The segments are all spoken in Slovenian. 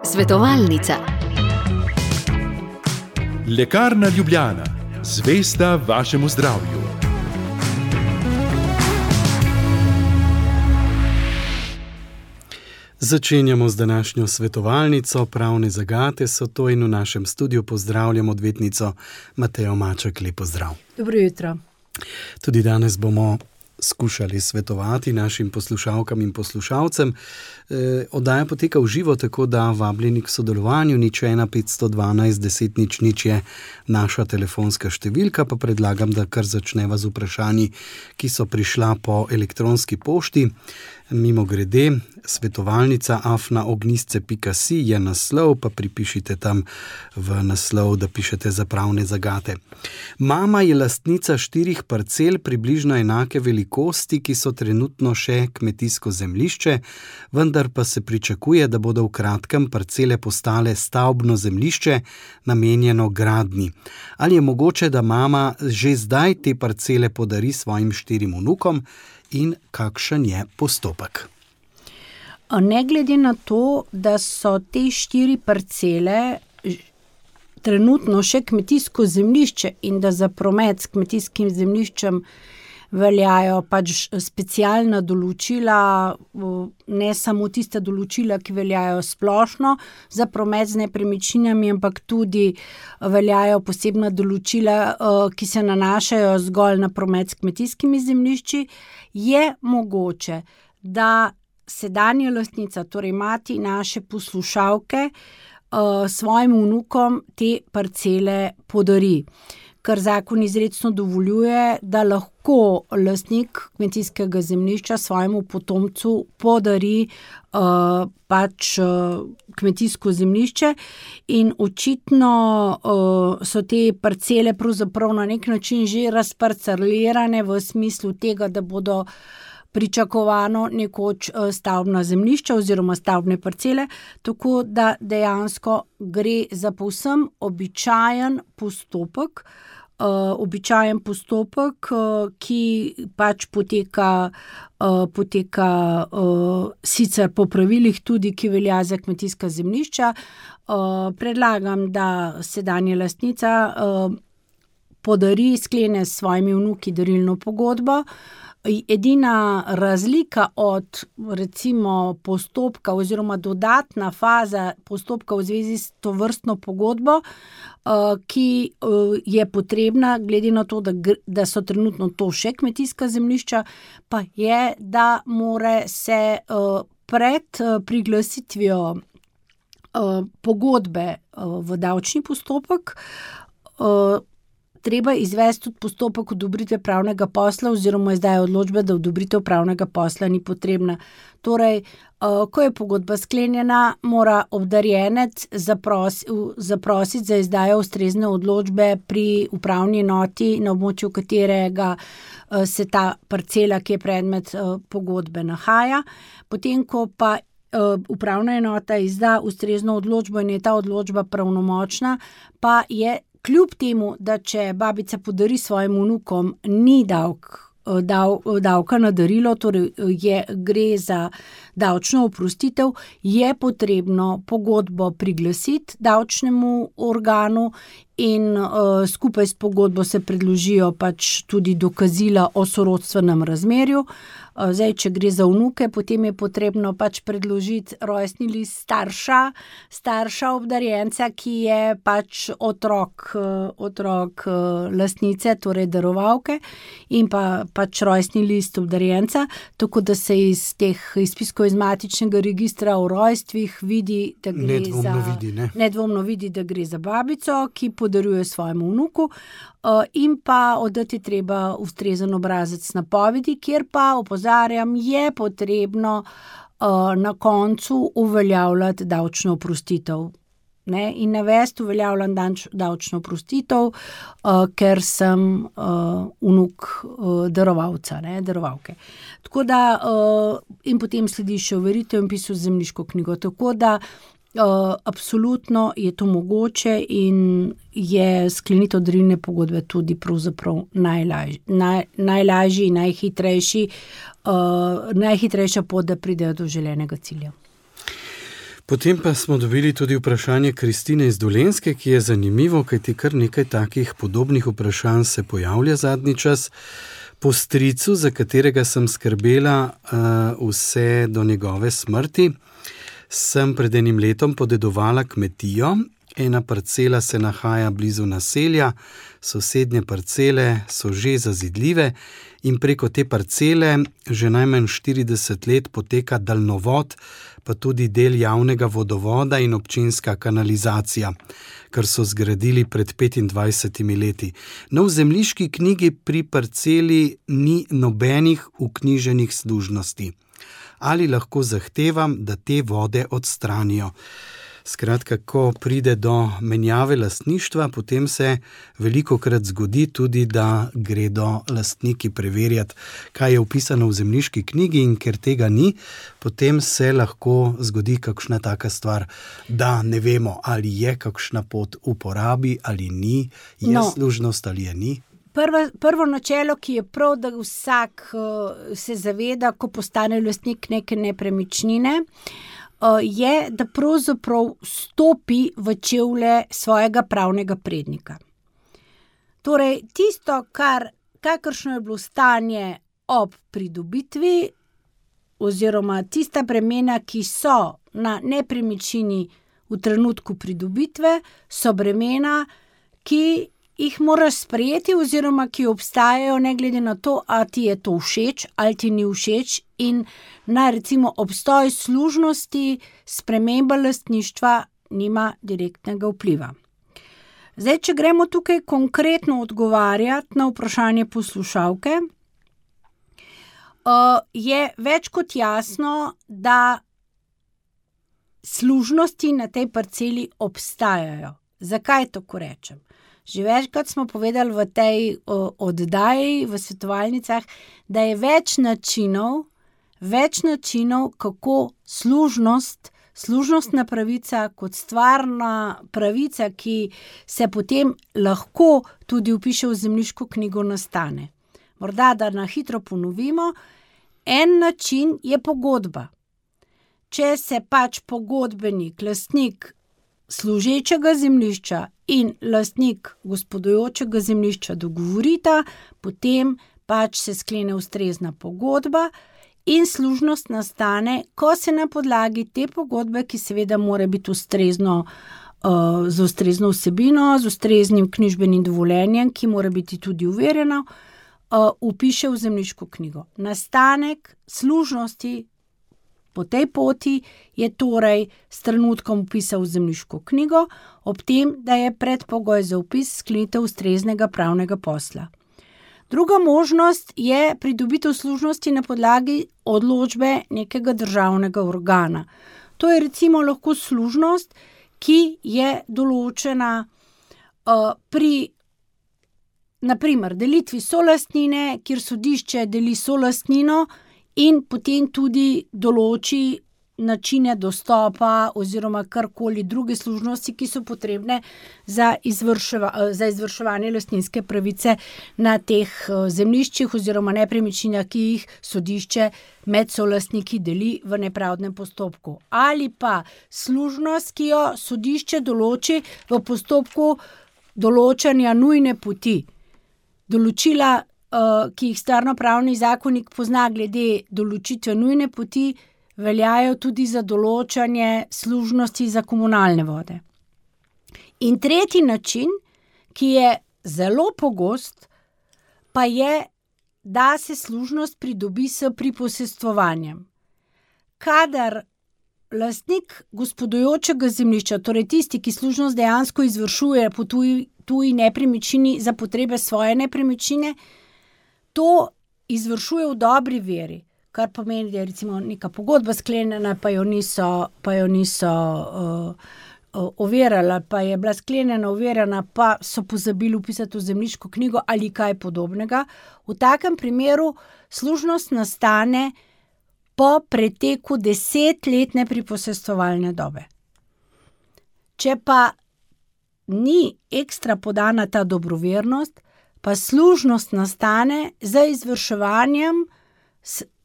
Svetovalnica. Lekarna Ljubljana, zvesta vašemu zdravju. Začenjamo z današnjo svetovalnico. Pravne zagate so to in v našem studiu pozdravljam odvetnico Matejo Maček. Lep pozdrav. Dobro jutro. Tudi danes bomo skušali svetovati našim poslušalkam in poslušalcem. Oddaja poteka v živo, tako da vabljeni k sodelovanju. 01 512 10 00 je naša telefonska številka, pa predlagam, da kar začneva z vprašanji, ki so prišla po elektronski pošti. Mimogrede, svetovalnica @ognistce.si je naslov, pa pripišite tam v naslov, da pišete za pravne zagate. Mama je lastnica 4 parcel približno enake velikosti, ki so trenutno še kmetijsko zemljišče, vendar pa se pričakuje, da bodo v kratkem parcele postale stavbno zemljišče, namenjeno gradnji. Ali je mogoče, da mama že zdaj te parcele podari svojim 4 vnukom? In kakšen je postopek? Ne glede na to, da so te 4 parcele trenutno še kmetijsko zemljišče in da za promet s kmetijskim zemljiščem veljajo pač specialna določila, ne samo tista določila, ki veljajo splošno za promet z nepremičninami, ampak tudi veljajo posebna določila, ki se nanašajo zgolj na promet s kmetijskimi zemljišči, je mogoče, da sedanja lastnica, torej mati naše poslušalke, svojim vnukom te parcele podari. Ker zakon izrecno dovoljuje, da lahko lastnik kmetijskega zemljišča svojemu potomcu podari kmetijsko zemljišče in očitno so te parcele pravzaprav na nek način že razparcelirane v smislu tega, da bodo pričakovano nekoč stavbna zemljišča oziroma stavbne parcele, tako da dejansko gre za povsem običajen postopek, ki pač poteka sicer po pravilih tudi, ki velja za kmetijska zemljišča. Predlagam, da sedanja lastnica podari, sklene s svojimi vnuki darilno pogodbo. Edina razlika od recimo postopka oziroma dodatna faza postopka v zvezi s tovrstno pogodbo, ki je potrebna, glede na to, da so trenutno to še kmetijska zemljišča, pa je, da mora se pred priglasitvijo pogodbe v davčni postopek treba izvesti tudi postopek odobritve pravnega posla oziroma izdaje odločbe, da odobritev pravnega posla ni potrebna. Torej, ko je pogodba sklenjena, mora obdarjenec zaprositi za izdajo ustrezne odločbe pri upravni enoti, na območju katerega se ta parcela, ki je predmet pogodbe, nahaja. Potem, ko pa upravna enota izda ustrezno odločbo in je ta odločba pravnomočna, pa je kljub temu, da če babica podari svojim vnukom, ni davka na darilo, torej gre za davčno oprostitev, je potrebno pogodbo priglasiti davčnemu organu in skupaj s pogodbo se predložijo pač tudi dokazila o sorodstvenem razmerju. Zdaj, če gre za vnuke, potem je potrebno pač predložiti rojstni list starša obdarjenca, ki je pač otrok lastnice, torej darovalke, in pa pač rojstni list obdarjenca, tako da se iz teh izpiskov iz matičnega registra o rojstvih vidi, da gre nedvomno vidi, da gre za babico, ki podarjuje svojemu vnuku, in pa oddati treba ustrezen obrazec napovedi, kjer pa, opozarjam, je potrebno na koncu uveljavljati davčno oprostitev. In navesti uveljavljam davčno oprostitev, ker sem vnuk darovalca, darovalke. Tako da, in potem sledi še overitev in vpis v zemljiško knjigo. Tako da absolutno je to mogoče in je sklenitev darilne pogodbe tudi pravzaprav najlažji in najhitrejša pot, da pridejo do želenega cilja. Potem pa smo dobili tudi vprašanje Kristine iz Dolenjske, ki je zanimivo, kajti kar nekaj takih podobnih vprašanj se pojavlja zadnji čas. Po stricu, za katerega sem skrbela vse do njegove smrti, sem pred enim letom podedovala kmetijo. Ena parcela se nahaja blizu naselja, sosednje parcele so že zazidljive in preko te parcele že najmanj 40 let poteka daljnovod, pa tudi del javnega vodovoda in občinska kanalizacija, kar so zgradili pred 25 leti. No, v zemljiški knjigi pri parceli ni nobenih vknjiženih služnosti. Ali lahko zahtevam, da te vode odstranijo? Skratka, ko pride do menjave lastništva, potem se velikokrat zgodi tudi, da gredo lastniki preverjati, kaj je vpisano v zemljiški knjigi, in ker tega ni, potem se lahko zgodi kakšna taka stvar, da ne vemo, ali je kakšna pot v uporabi ali ni, je služnost ali je ni. Prvo načelo, ki je prav, da vsak se zaveda, ko postane lastnik neke nepremičnine, je, da pravzaprav stopi v čevlje svojega pravnega prednika. Torej, tisto, kakršno je bilo stanje ob pridobitvi, oziroma tista bremena, ki so na nepremičnini v trenutku pridobitve, so bremena, ki jih moraš sprejeti oziroma ki obstajajo ne glede na to, ali ti je to všeč ali ti ni všeč, in na recimo obstoj služnosti sprememba lastništva nima direktnega vpliva. Zdaj, če gremo tukaj konkretno odgovarjati na vprašanje poslušalke, je več kot jasno, da služnosti na tej parceli obstajajo. Zakaj tako rečem? Že večkrat smo povedali v tej oddaji, v svetovalnicah, da je več načinov, kako služnostna pravica kot stvarna pravica, ki se potem lahko tudi vpiše v zemljiško knjigo, nastane. Morda, da na hitro ponovimo, en način je pogodba. Če se pač pogodbenik, lastnik služečega zemljišča in lastnik gospodujočega zemljišča dogovorita, potem pač se sklene ustrezna pogodba in služnost nastane, ko se na podlagi te pogodbe, ki seveda mora biti z ustrezno vsebino, z ustreznim knjižbenim dovoljenjem, ki mora biti tudi overjeno, vpiše v zemljiško knjigo. Nastanek služnosti po tej poti je torej s trenutkom vpisa v zemljiško knjigo, ob tem, da je predpogoj za vpis sklenitev ustreznega pravnega posla. Druga možnost je pridobitev služnosti na podlagi odločbe nekega državnega organa. To je recimo lahko služnost, ki je določena pri, naprimer, delitvi solastnine, kjer sodišče deli solastnino in potem tudi določi načine dostopa oziroma karkoli druge služnosti, ki so potrebne za izvrševanje lastninske pravice na teh zemljiščih oziroma nepremičninah, ki jih sodišče med solastniki deli v nepravdnem postopku. Ali pa služnost, ki jo sodišče določi v postopku določanja nujne poti. Določila, ki jih stvarnopravni zakonik pozna glede določitve nujne poti, veljajo tudi za določanje služnosti za komunalne vode. In tretji način, ki je zelo pogost, pa je, da se služnost pridobi s priposestvovanjem. Kadar lastnik gospodujočega zemljišča, torej tisti, ki služnost dejansko izvršuje po tuji nepremičnini za potrebe svoje nepremičnine, to izvršuje v dobri veri, kar pomeni, da je recimo neka pogodba sklenjena, pa jo niso overjali, pa je bila sklenjena, overjena, pa so pozabili vpisati v zemljiško knjigo ali kaj podobnega. V takem primeru služnost nastane po preteku 10-letne priposestovalne dobe. Če pa ni ekstra podana ta dobrovernost, pa služnost nastane z izvrševanjem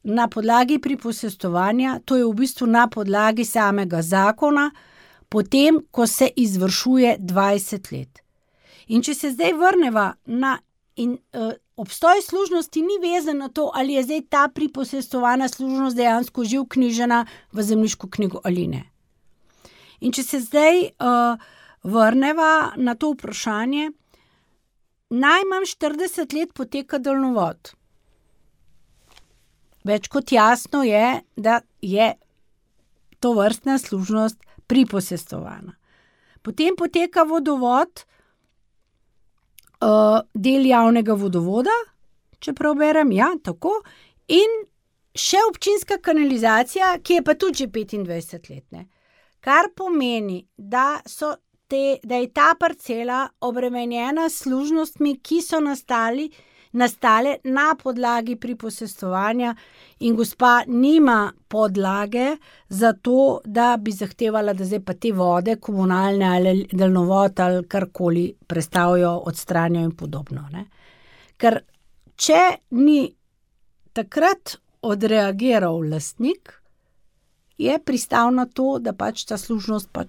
na podlagi priposestovanja, to je v bistvu na podlagi samega zakona, potem, ko se izvršuje 20 let. In če se zdaj vrneva obstoj služnosti ni vezan na to, ali je zdaj ta priposestovana služnost dejansko že vknjižena v zemljiško knjigo ali ne. In če se zdaj vrneva na to vprašanje, najmanj 40 let poteka daljnovod. Več kot jasno je, da je tovrstna služnost priposestovana. Potem poteka vodovod, del javnega vodovoda, če prav berem, ja, tako, in še občinska kanalizacija, ki je pa tudi že 25 let, ne. Kar pomeni, da je ta parcela obremenjena s služnostmi, ki so nastale na podlagi priposestovanja in gospa nima podlage za to, da bi zahtevala, da zdaj pa te vode, komunalne ali daljnovod ali karkoli prestavijo, odstranijo in podobno, ne. Ker če ni takrat odreagiral lastnik, je pristal na to, da pač ta služnost pa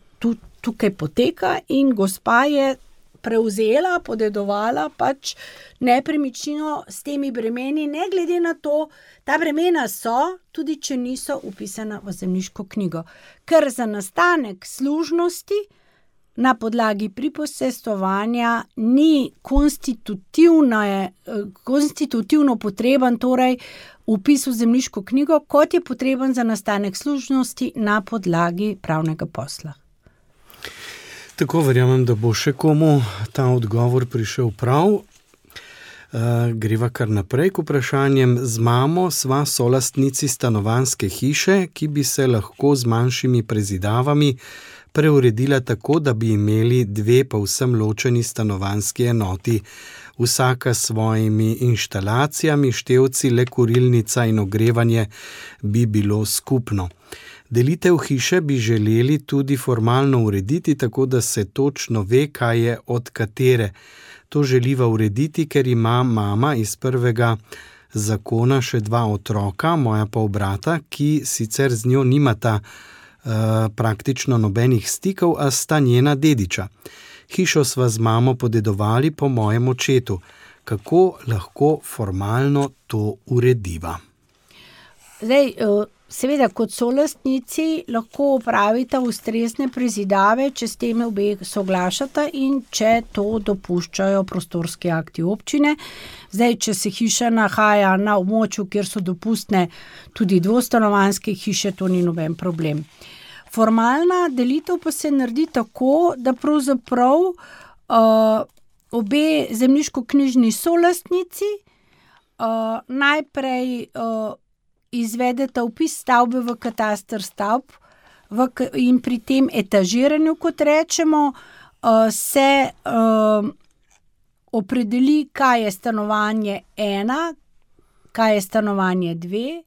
tukaj poteka in gospa je prevzela, podedovala pač nepremičnino s temi bremeni, ne glede na to, ta bremena so, tudi če niso vpisana v zemljiško knjigo. Ker za nastanek služnosti na podlagi priposestovanja ni konstitutivno potreben, torej vpis v zemljiško knjigo, kot je potreben za nastanek služnosti na podlagi pravnega posla. Tako verjamem, da bo še komu ta odgovor prišel prav. Greva kar naprej k vprašanjem. Z mamo sva solastnici stanovanjske hiše, ki bi se lahko z manjšimi prezidavami preuredila tako, da bi imeli 2 povsem ločeni stanovanjski enoti, vsaka s svojimi inštalacijami, števci, le kurilnica in ogrevanje bi bilo skupno. Delitev hiše bi želeli tudi formalno urediti, tako da se točno ve, kaj je od katere. To želiva urediti, ker ima mama iz prvega zakona še 2 otroka, moja pa brata, ki sicer z njo nimata praktično nobenih stikov, a sta njena dediča. Hišo sva z mamo podedovali po mojem očetu. Kako lahko formalno to urediva? Zdaj, seveda, kot solastnici lahko opravita ustrezne prezidave, če s tem obe soglašata in če to dopuščajo prostorski akti občine. Zdaj, če se hiša nahaja na območju, kjer so dopustne tudi dvostanovanjske hiše, to ni noben problem. Formalna delitev pa se naredi tako, da pravzaprav obe zemljiškoknjižni solastnici najprej izvedeta vpis stavbe v kataster stavb in pri tem etažiranju, kot rečemo, se opredeli, kaj je stanovanje 1, kaj je stanovanje 2,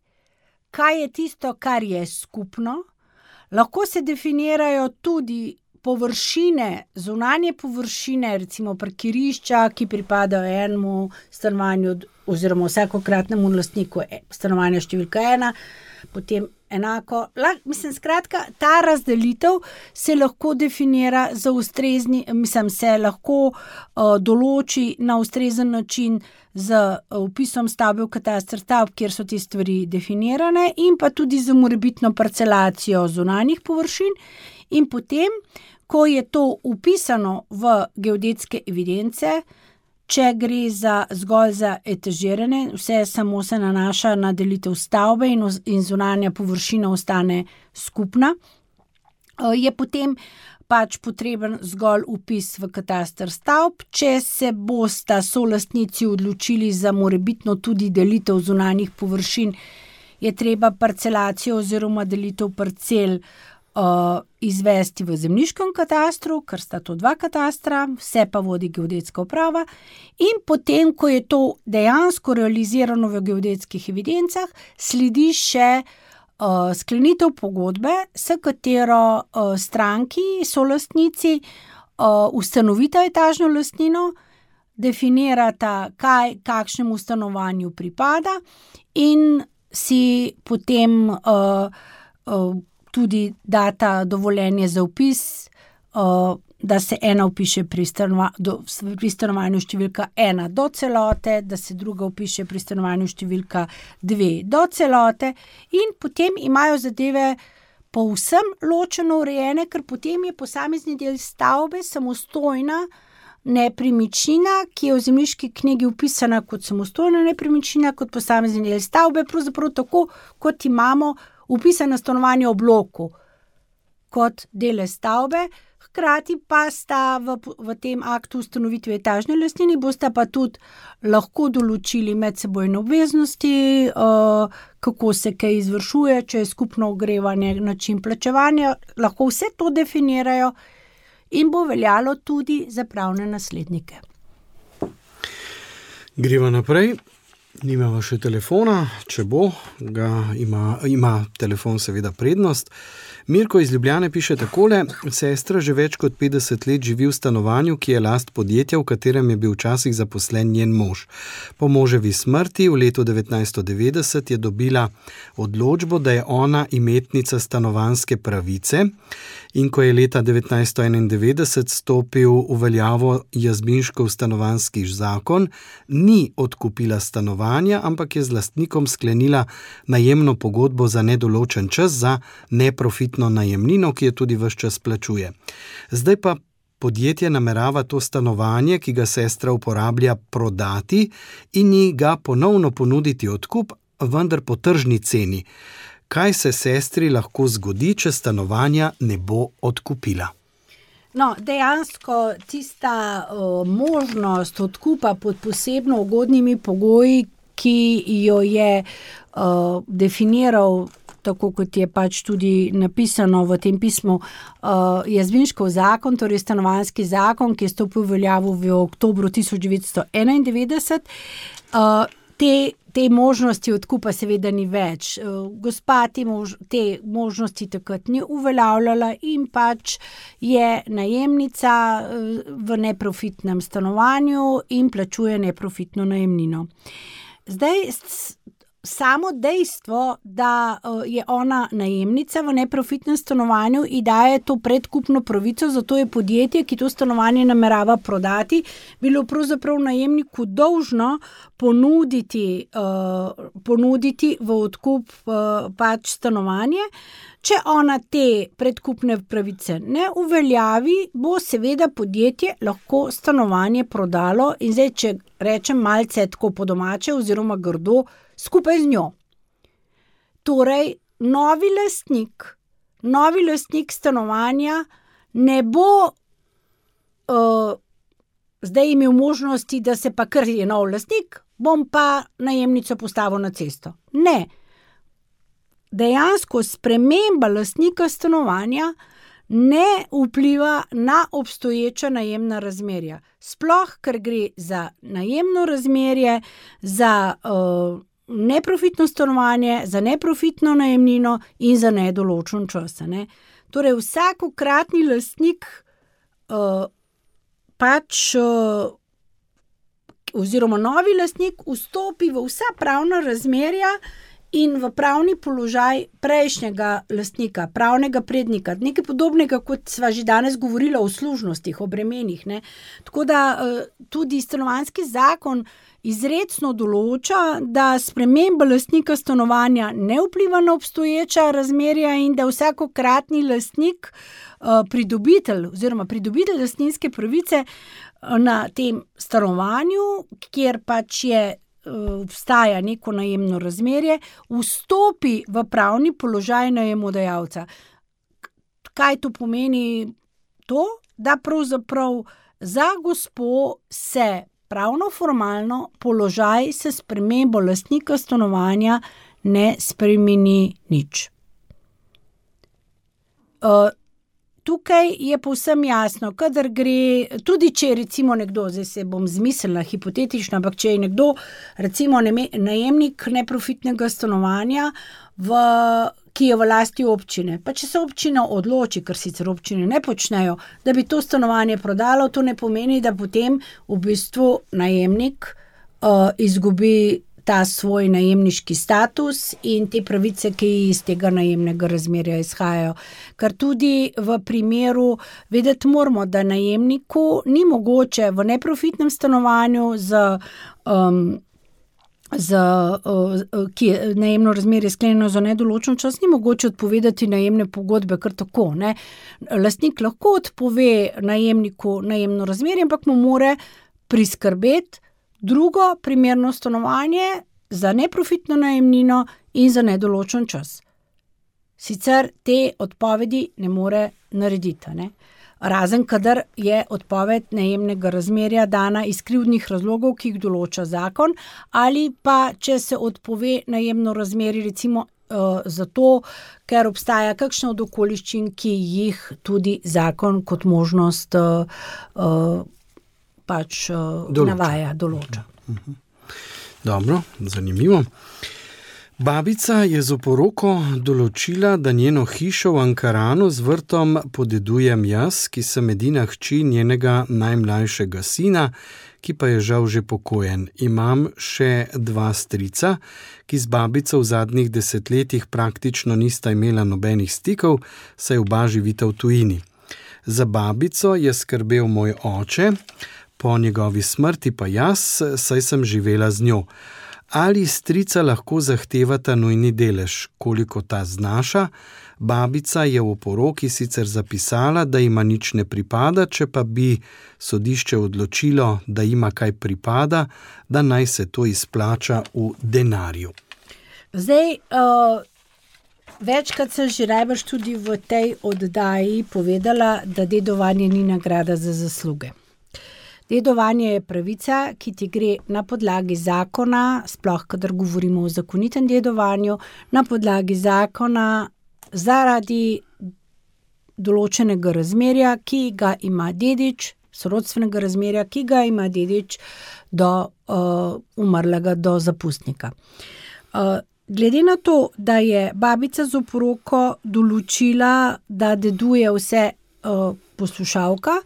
kaj je tisto, kar je skupno. Lahko se definirajo tudi površine, zunanje površine, recimo parkirišča, ki pripadajo enemu stanovanju oziroma vsakokratnemu lastniku stanovanja številka 1, potem enako. Skratka, ta razdelitev se lahko definira se lahko določi na ustrezen način z vpisom stavbe v kataster stavb, kjer so te stvari definirane, in pa tudi z morebitno parcelacijo zunanjih površin. In potem, ko je to vpisano v geodetske evidence, če gre zgolj za etažiranje, vse samo se nanaša na delitev stavbe in zunanja površina ostane skupna, je potem pač potreben zgolj vpis v kataster stavb. Če se bosta solastnici odločili za morebitno tudi delitev zunanjih površin, je treba parcelacijo oziroma delitev parcel izvesti v zemljiškem katastru, ker sta to 2 katastra, vse pa vodi geodetska uprava, in potem, ko je to dejansko realizirano v geodetskih evidencah, sledi še sklenitev pogodbe, s katero stranki, solastnici ustanovita etažno lastnino, definirata, kakšnemu stanovanju pripada in si potem tudi data dovoljenje za vpis, da se ena vpiše pri stanovanju številka 1 do celote, da se druga vpiše pri stanovanju številka 2 do celote in potem imajo zadeve povsem ločeno urejene, ker potem je posamezni del stavbe samostojna nepremičnina, ki je v zemljiški knjigi vpisana kot samostojna nepremičnina, kot posamezni del stavbe, pravzaprav tako, kot imamo vpisano stanovanje v bloku kot dele stavbe. Hkrati pa sta v tem aktu ustanovitve etažne lastnine, bosta pa tudi lahko določili medsebojne obveznosti, kako se kaj izvršuje, če je skupno ogrevanje, način plačevanja, lahko vse to definirajo in bo veljalo tudi za pravne naslednike. Greva naprej. Nimamo še telefona, če bo, ima telefon seveda prednost. Mirko iz Ljubljane piše takole: sestra že več kot 50 let živi v stanovanju, ki je last podjetja, v katerem je bil včasih zaposlen njen mož. Po moževi smrti v letu 1990 je dobila odločbo, da je ona imetnica stanovanjske pravice, in ko je leta 1991 stopil v veljavo Jazbinškov stanovanjski zakon, ni odkupila stanovanja, ampak je z lastnikom sklenila najemno pogodbo za nedoločen čas za neprofitno najemnino, ki je tudi ves čas plačuje. Zdaj pa podjetje namerava to stanovanje, ki ga sestra uporablja, prodati in ji ga ponovno ponuditi odkup, vendar po tržni ceni. Kaj se sestri lahko zgodi, če stanovanja ne bo odkupila? No, dejansko tista možnost odkupa pod posebno ugodnimi pogoji, ki jo je definiral, tako kot je pač tudi napisano v tem pismu, Jazbinškov zakon, torej stanovanjski zakon, ki je stopil v veljavo v oktobru 1991, te možnosti odkupa seveda ni več. Gospa te možnosti takrat ni uveljavljala in pač je najemnica v neprofitnem stanovanju in plačuje neprofitno najemnino. Zdaj, samo dejstvo, da je ona najemnica v neprofitnem stanovanju in daje to predkupno pravico, zato je podjetje, ki to stanovanje namerava prodati, bilo pravzaprav najemniku dolžno ponuditi v odkup pač stanovanje. Če ona te predkupne pravice ne uveljavi, bo seveda podjetje lahko stanovanje prodalo in zdaj, če rečem malce tako po domače oziroma grdo, skupaj z njo. Torej, novi lastnik stanovanja ne bo zdaj imel možnosti, da se pa kar je nov lastnik, bom pa najemnico postavil na cesto. Ne. Dejansko sprememba lastnika stanovanja ne vpliva na obstoječa najemna razmerja. Sploh, ker gre za najemno razmerje, za neprofitno stanovanje, za neprofitno najemnino in za nedoločen čas. Ne? Torej, vsakokratni lastnik oziroma novi lastnik vstopi v vsa pravna razmerja in v pravni položaj prejšnjega lastnika, pravnega prednika, nekaj podobnega, kot sva že danes govorila o služnostih, o bremenih. Ne? Tako da tudi stanovanjski zakon izrecno določa, da sprememba lastnika stanovanja ne vpliva na obstoječa razmerja in da vsakokratni lastnik, pridobitelj lastninske pravice na tem stanovanju, kjer pač obstaja neko najemno razmerje, vstopi v pravni položaj najemodajalca. Kaj to pomeni? To, da pravzaprav za gospo se pravno formalno položaj se spremembo lastnika stanovanja ne spremeni nič. Tukaj je povsem jasno, kadar gre, tudi če recimo nekdo, zdaj se bom zmislila hipotetično, ampak če je nekdo recimo najemnik neprofitnega stanovanja, ki je v lasti občine, pa če se občina odloči, ker sicer občine ne počnejo, da bi to stanovanje prodalo, to ne pomeni, da potem v bistvu najemnik izgubi ta svoj najemniški status in te pravice, ki iz tega najemnega razmerja izhajajo. Ker tudi v primeru, vedeti moramo, da najemniku ni mogoče v neprofitnem stanovanju ki je najemno razmerje sklenjeno za nedoločen čas, ni mogoče odpovedati najemne pogodbe kar tako, ne. Lastnik lahko odpove najemniku najemno razmerje, ampak mu mora priskrbeti drugo primerno stanovanje za neprofitno najemnino in za nedoločen čas. Sicer te odpovedi ne more narediti, ne. Razen kadar je odpoved najemnega razmerja dana iz krivdnih razlogov, ki jih določa zakon, ali pa če se odpove najemno razmerje recimo zato, ker obstaja kakšna od okoliščin, ki jih tudi zakon kot možnost navaja, določa. Dobro, zanimivo. Babica je z oporoko določila, da njeno hišo v Ankaranu z vrtom podedujem jaz, ki sem edina hči njenega najmlajšega sina, ki pa je žal že pokojen. Imam še 2 strica, ki z babico v zadnjih 10 letih praktično nista imela nobenih stikov, saj oba živita v tujini. Za babico je skrbel moj oče, po njegovi smrti pa jaz, saj sem živela z njo. Ali strica lahko zahtevata nujni delež, koliko ta znaša? Babica je v oporoki sicer zapisala, da ima nič ne pripada, če pa bi sodišče odločilo, da ima kaj pripada, da naj se to izplača v denarju. Zdaj, večkrat sem že najbrž tudi v tej oddaji povedala, da dedovanje ni nagrada za zasluge. Dedovanje je pravica, ki ti gre na podlagi zakona, sploh kadar govorimo o zakonitem dedovanju, na podlagi zakona zaradi določenega razmerja, ki ga ima dedič, sorodstvenega razmerja, ki ga ima dedič do umrlega, do zapustnika. Glede na to, da je babica z oporoko določila, da deduje vse poslušalka,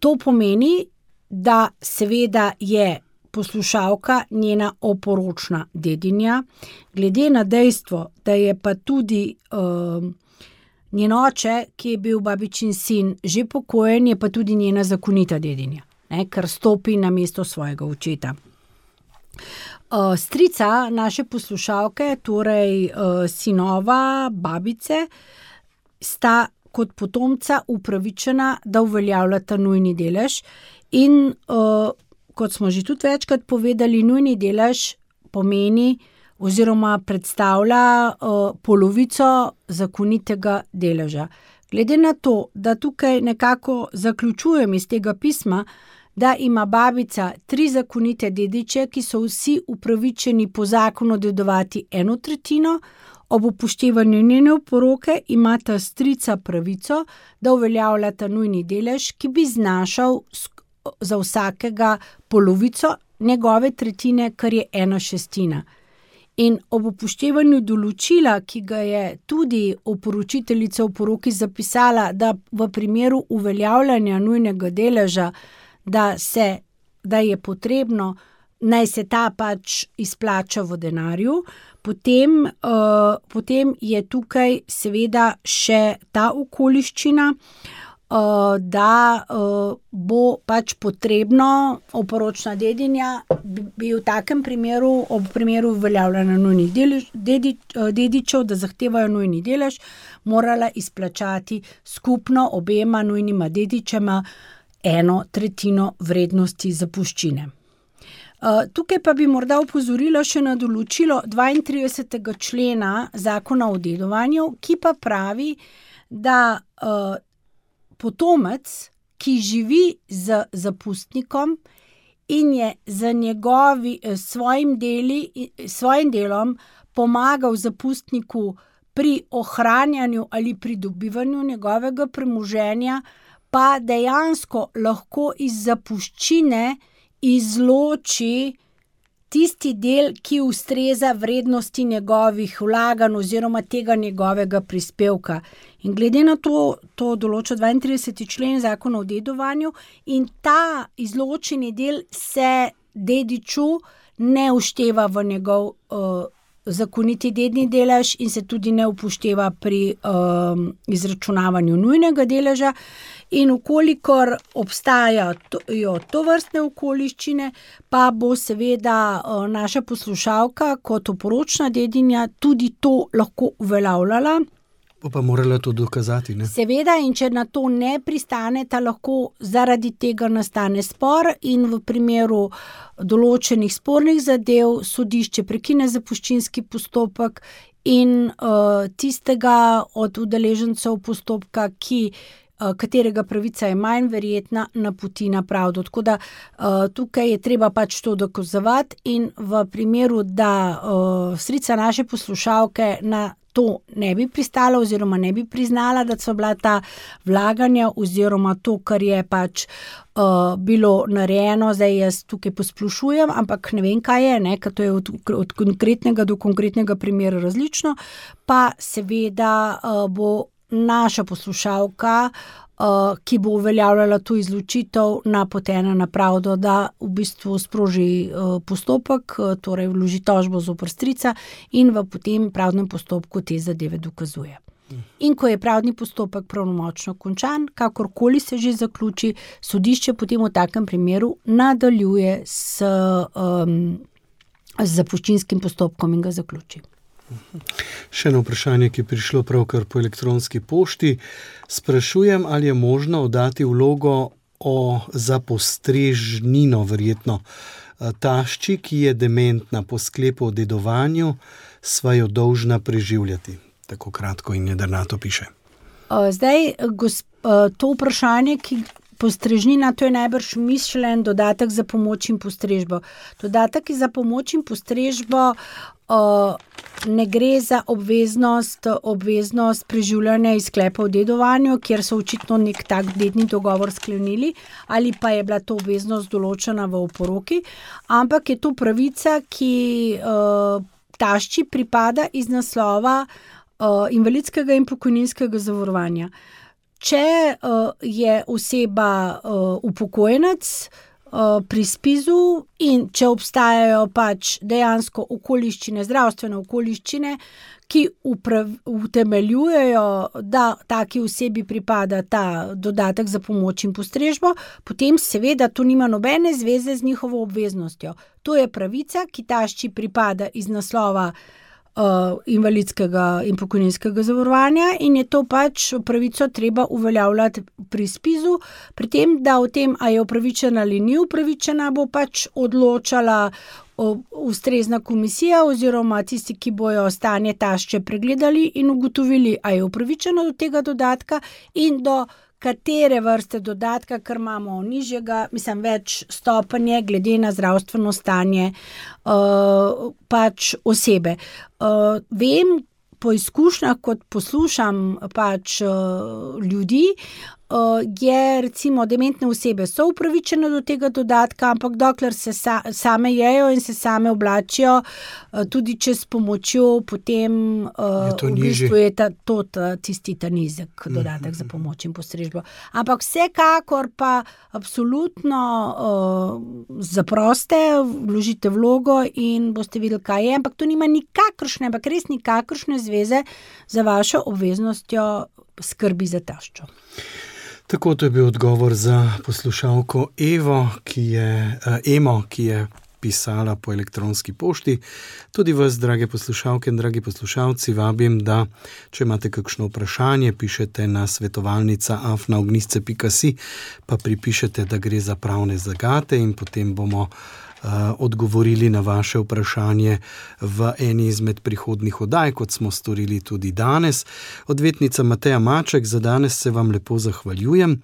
to pomeni, da seveda je poslušalka njena oporočna dedinja, glede na dejstvo, da je pa tudi njen oče, ki je bil babičin sin, že pokojen, je pa tudi njena zakonita dedinja, ne, ker stopi na mesto svojega očeta. Strica naše poslušalke, torej sinova babice, sta kot potomca upravičena, da uveljavljata nujni delež in kot smo že tudi večkrat povedali, nujni delež pomeni oziroma predstavlja polovico zakonitega deleža. Glede na to, da tukaj nekako zaključujem iz tega pisma, da ima babica 3 zakonite dediče, ki so vsi upravičeni po zakonu dedovati 1/3, ob upoštevanju njene oporoke imata strica pravico, da uveljavljata nujni delež, ki bi znašal za vsakega polovico njegove tretjine, kar je 1/6. In ob upoštevanju določila, ki ga je tudi oporočiteljica v oporoki zapisala, da v primeru uveljavljanja nujnega deleža, da je potrebno, naj se ta pač izplača v denarju, potem je tukaj seveda še ta okoliščina, da bo pač potrebno oporočna dedinja bi v takem primeru, ob primeru uveljavljanja nujnih dedičev, da zahtevajo nujni delež, morala izplačati skupno obema nujnima dedičema 1/3 vrednosti zapuščine. Tukaj pa bi morda opozorila še na določilo 32. člena Zakona o dedovanju, ki pa pravi, da potomec, ki živi z zapustnikom in je za svojim delom pomagal zapustniku pri ohranjanju ali pridobivanju njegovega premoženja, pa dejansko lahko iz zapuščine izloči tisti del, ki ustreza vrednosti njegovih vlaganj oziroma tega njegovega prispevka. In glede na to določa 32. člen Zakona o dedovanju in ta izločeni del se dediču ne ušteva v njegov zakoniti dedni delež in se tudi ne upošteva pri izračunavanju nujnega deleža. In ukolikor obstajajo tovrstne okoliščine, pa bo seveda naša poslušalka kot oporočna dedinja tudi to lahko uveljavljala. Bo pa morala to dokazati, ne? Seveda, in če na to ne pristaneta, lahko zaradi tega nastane spor in v primeru določenih spornih zadev sodišče prekine zapuščinski postopek in tistega od udeležencev postopka, katerega pravica je manj verjetna, napoti na pravdo. Tako da tukaj je treba pač to dokazovati in v primeru, da strica naše poslušalke na to ne bi pristala oziroma ne bi priznala, da so bila ta vlaganja oziroma to, kar je pač bilo narejeno, zdaj jaz tukaj posplošujem, ampak ne vem, kaj je, ne, ker to je od konkretnega do konkretnega primera različno, pa seveda bo naša poslušalka, ki bo uveljavljala to izločitev, napotena na pravdo, da v bistvu sproži postopek, torej vloži tožbo zoper strica in v potem pravdnem postopku te zadeve dokazuje. In ko je pravdni postopek pravnomočno končan, kakorkoli se že zaključi, sodišče potem v takem primeru nadaljuje s zapuščinskim postopkom in ga zaključi. Še eno vprašanje, ki je prišlo pravkar po elektronski pošti. Sprašujem, ali je možno oddati vlogo za postrežnino, verjetno tašči, ki je dementna, po sklepu o dedovanju, sva jo dolžna preživljati. Tako kratko in jedrnato piše. Zdaj, to vprašanje, postrežnina, to je najbrž mišljen dodatek za pomoč in postrežbo. Dodatek za pomoč in postrežbo ne gre za obveznost preživljanja iz sklepa o dedovanju, kjer so očitno nek tak dedni dogovor sklenili, ali pa je bila to obveznost določena v oporoki, ampak je to pravica, ki tašči pripada iz naslova invalidskega in pokojninskega zavarovanja. Če je oseba upokojenec pri SPIZ-u in če obstajajo pač dejansko okoliščine, zdravstvene okoliščine, ki utemeljujejo, da taki osebi pripada ta dodatek za pomoč in postrežbo, potem seveda to nima nobene zveze z njihovo obveznostjo. To je pravica, ki tašči pripada iz naslova invalidskega in pokojninskega zavarovanja in je to pač pravico treba uveljavljati pri SPIZ-u, pri tem, da o tem, a je upravičena ali ni upravičena, bo pač odločala ustrezna komisija oziroma tisti, ki bojo stanje tašče pregledali in ugotovili, a je upravičena do tega dodatka in do katere vrste dodatka, ker imamo nižjega, več stopnje glede na zdravstveno stanje pač osebe. Vem po izkušnjah, kot poslušam pač ljudi, je recimo dementne osebe so upravičene do tega dodatka, ampak dokler se same jejo in se same oblačijo, tudi če s pomočjo, potem v bistvu je tisti ta nizek dodatek za pomoč in postrežbo. Ampak vsekakor pa absolutno zaproste, vložite vlogo in boste videli, kaj je, ampak to nima nikakršne, ampak res nikakršne zveze za vašo obveznostjo skrbi za taščo. Tako, to je bil odgovor za poslušalko Emo, ki je pisala po elektronski pošti. Tudi vas, drage poslušalke in dragi poslušalci, vabim, da če imate kakšno vprašanje, pišete na svetovalnica@ognisce.si, pa pripišete, da gre za pravne zagate in potem bomo odgovorili na vaše vprašanje v eni izmed prihodnjih oddaj, kot smo storili tudi danes. Odvetnica Mateja Maček, za danes se vam lepo zahvaljujem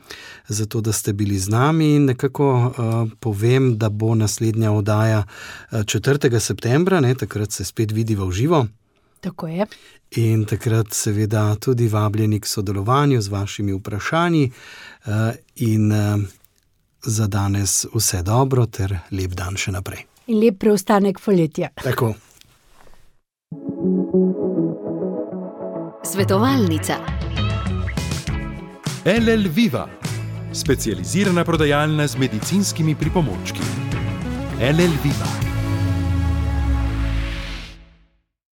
za to, da ste bili z nami in nekako povem, da bo naslednja oddaja 4. septembra, takrat se spet vidiva v živo. Tako je. In takrat seveda tudi vabljeni k sodelovanju z vašimi vprašanji in za danes vse dobro ter lep dan še naprej. In lep preostanek poletja. Tako. Svetovalnica. LL Viva, specializirana prodajalna z medicinskimi pripomočki. LL Viva.